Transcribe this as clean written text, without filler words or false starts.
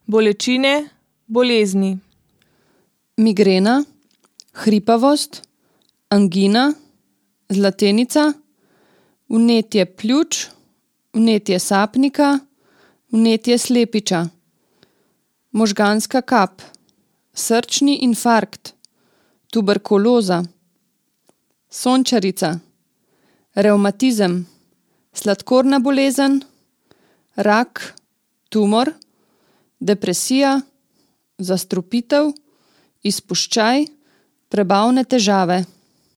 bolečine, bolezni. Migrena, hripavost, angina, zlatenica, vnetje pljuč, vnetje sapnika, vnetje slepiča, možganska kap, srčni infarkt, tuberkuloza, sončarica, revmatizem, sladkorna bolezen, rak, tumor, depresija, zastrupitev, izpuščaj, prebavne težave.